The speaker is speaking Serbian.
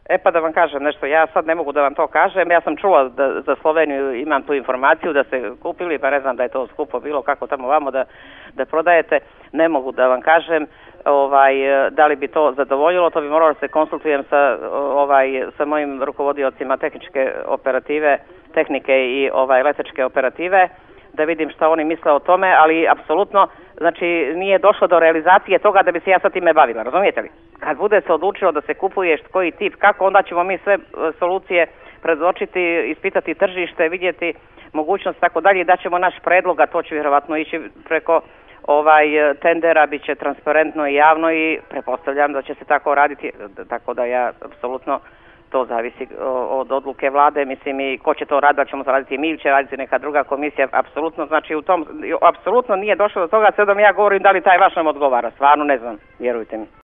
E pa da vam kažem nešto, ja sad ne mogu da vam to kažem, ja sam čula da za Sloveniju imam tu informaciju da ste kupili, pa ne znam da je to skupo bilo, kako tamo vamo da prodajete, ne mogu da vam kažem da li bi to zadovoljilo, to bi moralo da se konsultujem sa mojim rukovodiocima tehničke operative, tehnike i letačke operative, da vidim šta oni misle o tome, ali apsolutno, znači, nije došlo do realizacije toga da bi se ja sa time bavila, razumijete li? Kad bude se odlučilo da se kupuje koji tip, kako, onda ćemo mi sve solucije predočiti, ispitati tržište, vidjeti mogućnost, tako dalje, i daćemo naš predlog, a to će vjerovatno ići preko tendera, bit će transparentno i javno i pretpostavljam da će se tako raditi, tako da ja apsolutno, to zavisi od odluke vlade, mislim, i ko će to raditi, da ćemo to raditi mi ili će raditi neka druga komisija, apsolutno, znači apsolutno nije došlo do toga, sad da mi ja govorim da li taj vaš nam odgovara, stvarno ne znam, vjerujte mi.